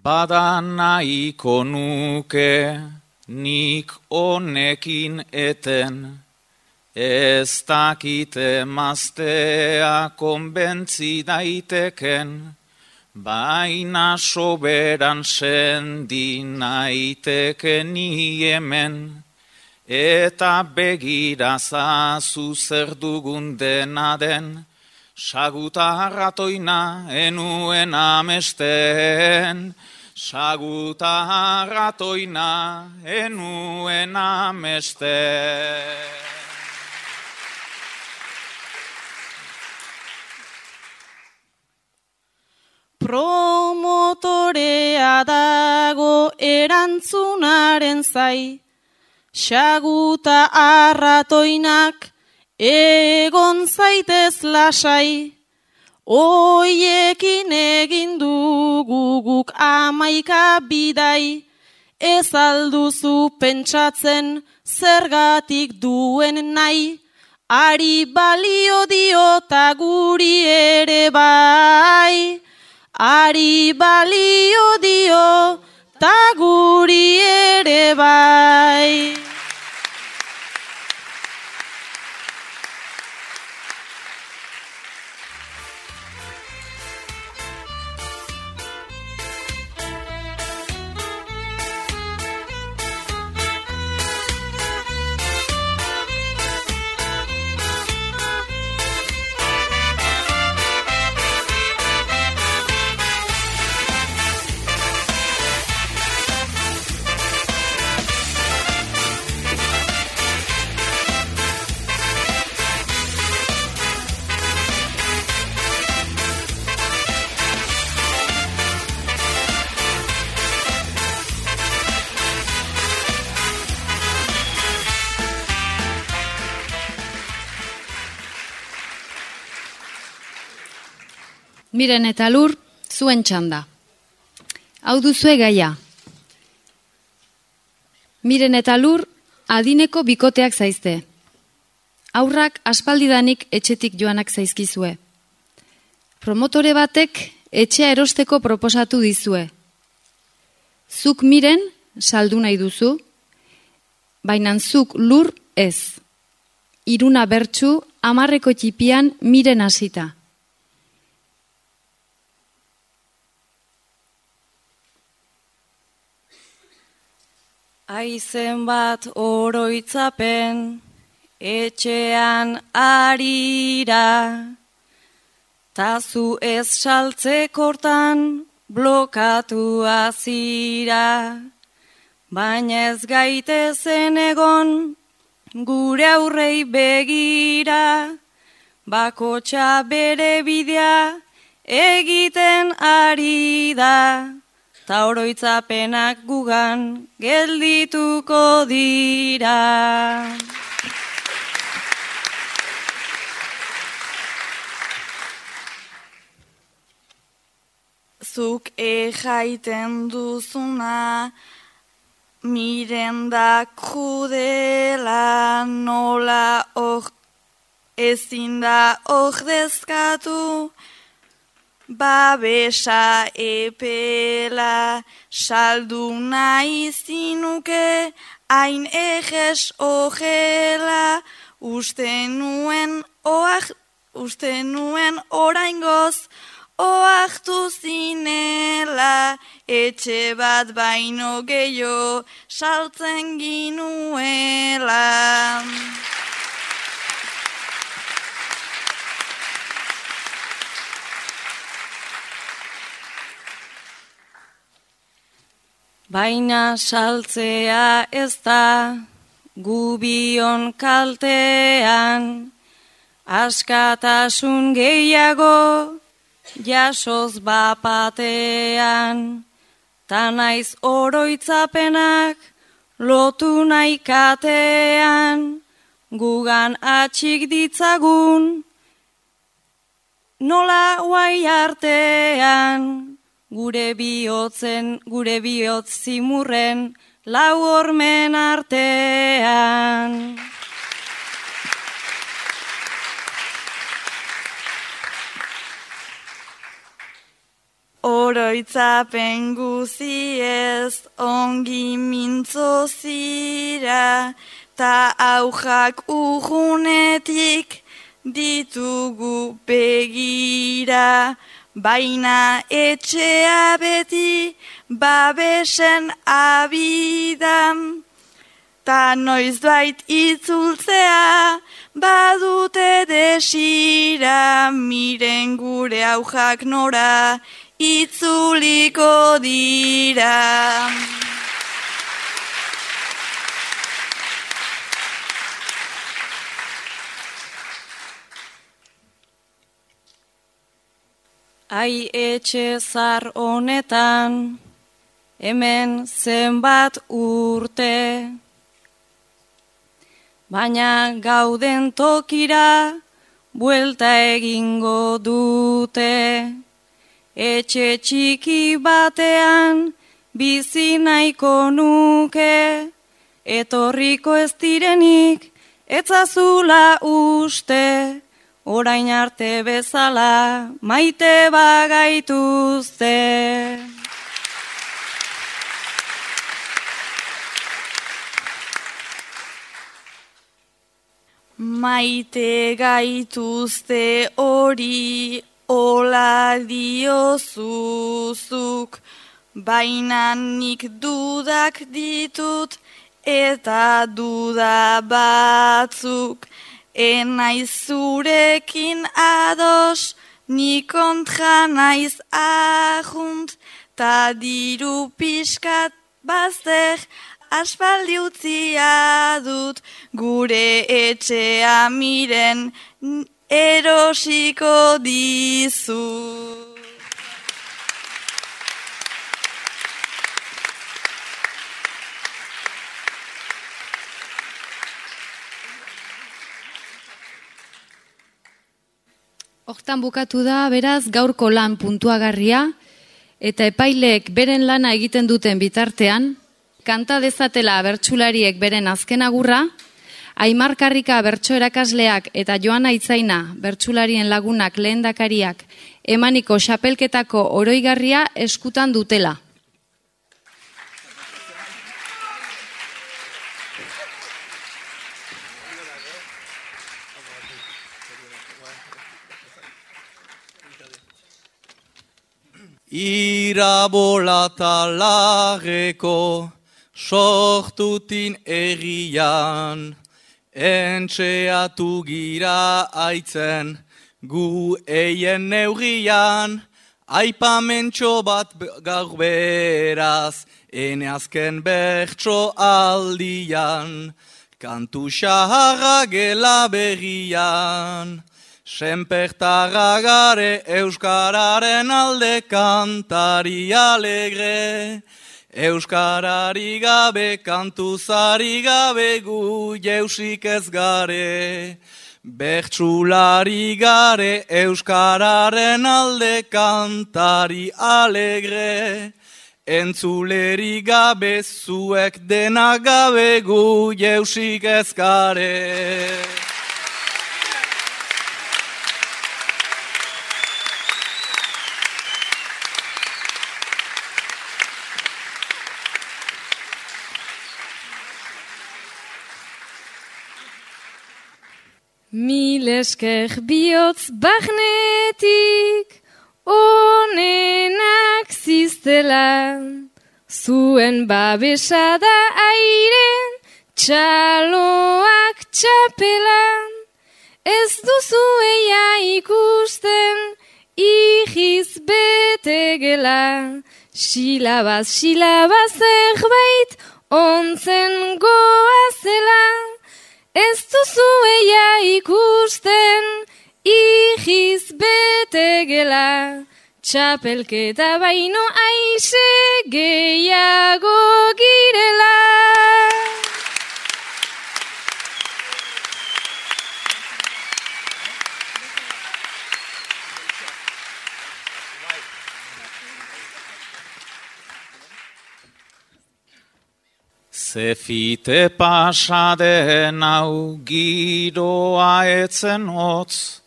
Bada nahiko nuke nik honekin eten, ez dakite maztea konbentzi daiteken, baina soberan sendi naiteke ni hemen, eta begirazazu zer dugun dena den, saguta arratoina enuen amesten, saguta arratoina enuen amesten. Promotorea dago erantzunaren zai, saguta arratoinak egon zaitez lasai, oiekin egin dugu guk 11 bidai, ez alduzu pentsatzen zergatik duen nahi, ari balio dio ta guri ere bai, ari balio dio ta guri ere bai. Miren eta Lur, zuen txanda. Hau duzue gaia. Miren eta Lur, adineko bikoteak zaizte. Haurrak aspaldidanik etxetik joanak zaizkizue. Promotore batek etxea erosteko proposatu dizue. Zuk Miren saldu nahi duzu, baina zuk Lur ez. Iruna bertsu 10 txipian Miren hasita. Aizen bat oroitzapen, etxean arira, tazu ez saltzekortan blokatu azira, baina ez gaitezen egon gure aurrei begira, bakotxa bere bidea egiten ari da. Ta oroitzapenak gugan geldituko dira. Zuk jaiten duzuna, Miren da krudela, nola ezin da ordezkatu, babesa epela, saldu nahi zinuke, hain ejes ojela, uste nuen oraingoz, oahtu zinela, etxe bat baino gehiago saltzen ginuela. Baina saltzea ez da gubion kaltean, askatasun gehiago jasoz bapatean, ta naiz oroitzapenak lotu nahi katean, gugan atxik ditzagun nola guai artean. Gure bihotz zimurren lau hormen artean. Oroitzapen guziez ongi mintzo zira, ta aujak urrunetik ditugu begira. Baina etxea beti babesen abidan, ta noizbait itzultzea badute desira, Miren gure aujak nora itzuliko dira. Ai etxe zar honetan, hemen zenbat urte, baina gauden tokira buelta egingo dute. Etxe txiki batean bizi nahiko nuke, etorriko ez direnik etzazula uste. Orain arte bezala maite bagaituzte. Maite gaituzte hori ola diozuzuk, baina nik dudak ditut eta duda batzuk. Enaiz zurekin ados, ni kontra naiz ajunt, ta diru pixkat bazter aspaldi utzia dut, gure etxea Miren erosiko dizu. Hortan bukatu da, beraz, gaurko lan puntuagarria, eta epaileek beren lana egiten duten bitartean, kanta dezatela bertsulariek beren azken agurra, Aimar Karrika bertso erakasleak eta Joana Itzaina bertsularien lagunak lehendakariak emaniko xapelketako oroigarria eskutan dutela. Irabolatageko sortutin errian, entxeatu gira aitzen gu eien neurrian, aipamentxo bat gaur beraz, ene azken bertso aldian, kantu xaharra gela berrian. Senpertarra gare euskararen alde kantari alegre, euskarari gabe kantuzari gabe gu jeusik ez gare, bertsulari gare euskararen alde kantari alegre, entzuleri gabe zuek dena gabe gu jeusik ez gare. Mil esker bihotz bagnetik, onenak ziztela, zuen babesada airen, txaloak txapelan, ez duzu eia ikusten, ihiz betegela, silabaz zerbait, ontzen goazela, ez duzu eia ikusten, ihiz betegela, txapelketa baino aize gehiago girela. Zefite pasaden hau giroa etzen hotz,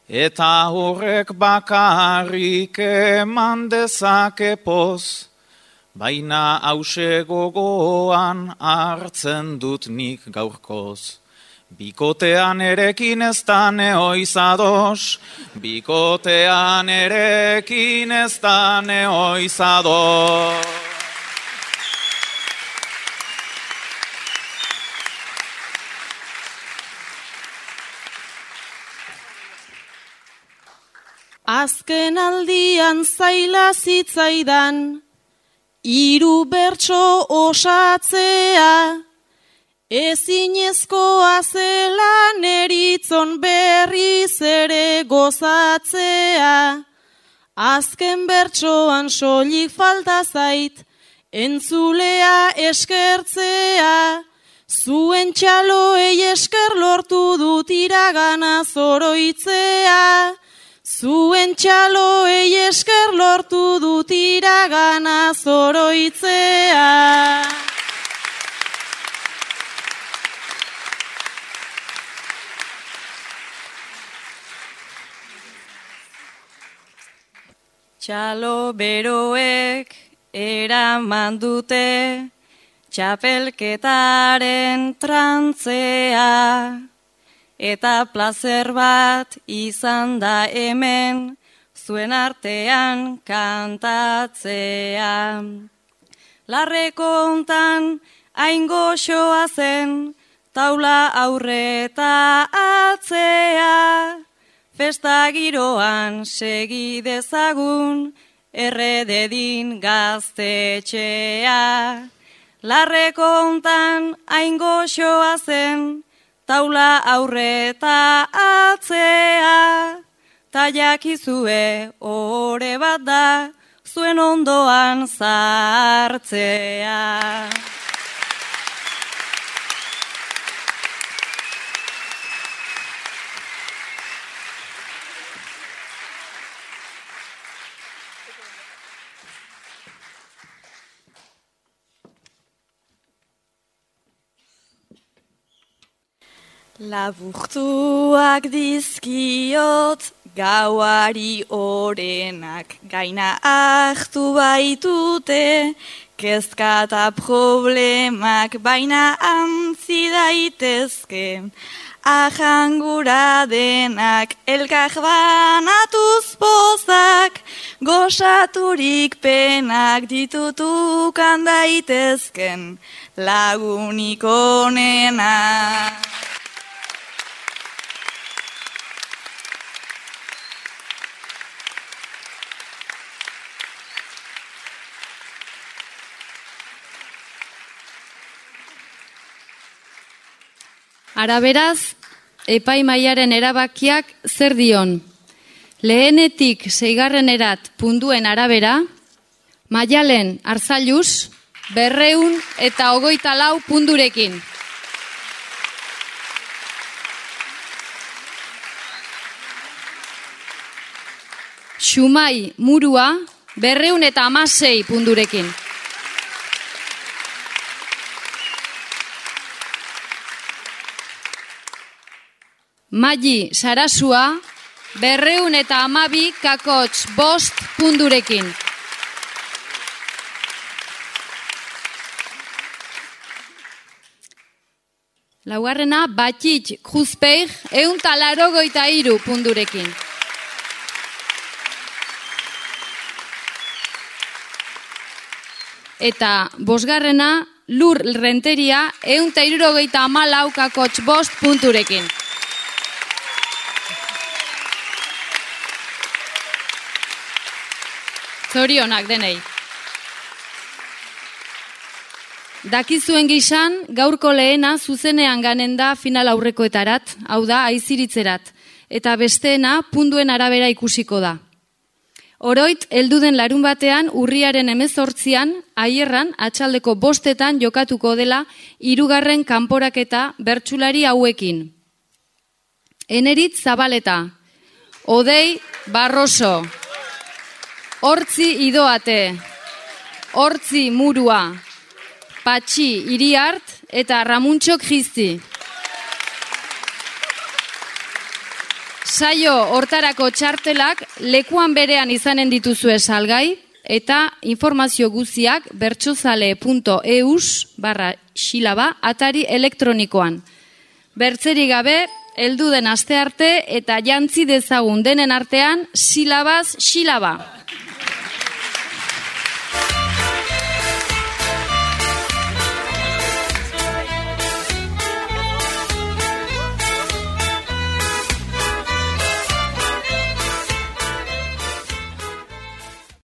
eta horrek bakarrik eman dezake poz, baina hause gogoan hartzen dut nik gaurkoz. Bikotean erekin ez da neoiz ados, bikotean erekin ez da neoiz ados. Azken aldian zaila zitzaidan, 3 bertso osatzea, ezinezkoa zela neritzon berriz ere gozatzea. Azken bertsoan soilik falta zait, entzulea eskertzea, zuen txaloei esker lortu dut iragana zoroitzea. Zuen txaloei esker lortu dut iragana zoroitzea. Txalo beroek eraman dute txapelketaren trantzea. Eta plazer bat izan da hemen, zuen artean kantatzea. Larreko hontan hain goxoa zen, taula aurreta atzea. Festa giroan segi dezagun, errededin gaztetxea. Larreko hontan hain goxoa zen, taula aurreta atzea, ta jakizue ore bat da, zuen ondoan sartzea. Laburtuak dizkiot gauari orenak, gaina hartu baitute, kezka eta problemak baina antzi daitezke. Ahangura denak elkar banatuz pozak, gozaturik penak ditutukan daitezken lagunik onenak. Ara beraz, epaimahaiaren erabakiak zer dion? Lehenetik 6erat punduen arabera, Maialen Arzallus 224 pundurekin. Xumai Murua 216 pundurekin. Magi Sarasua 212,5 pundurekin. Laugarrena Batit Kruzpeig 183 pundurekin. Eta bosgarrena Lur Renteria 174,5 punturekin. Zorionak denei. Dakizuen gizan, gaurko lehena zuzenean ganen da final aurrekoetarat, hau da, aiziritzerat, eta besteena punduen arabera ikusiko da. Oroit, helduden larun batean, urriaren 18an, Aierran, atxaldeko 5etan jokatuko dela 3. kanporaketa bertsulari hauekin. Eneritz Zabaleta, Odei Barroso, Hortzi Idoate, Hortzi Murua, Patxi Iriart eta Ramuntxok Jizti. Saio hortarako txartelak lekuan berean izanen dituzue salgai eta informazio guztiak bertsozale.eus/silaba atari elektronikoan. Bertzerik gabe, heldu den aste arte eta jantzi dezagun denen artean silabaz silaba.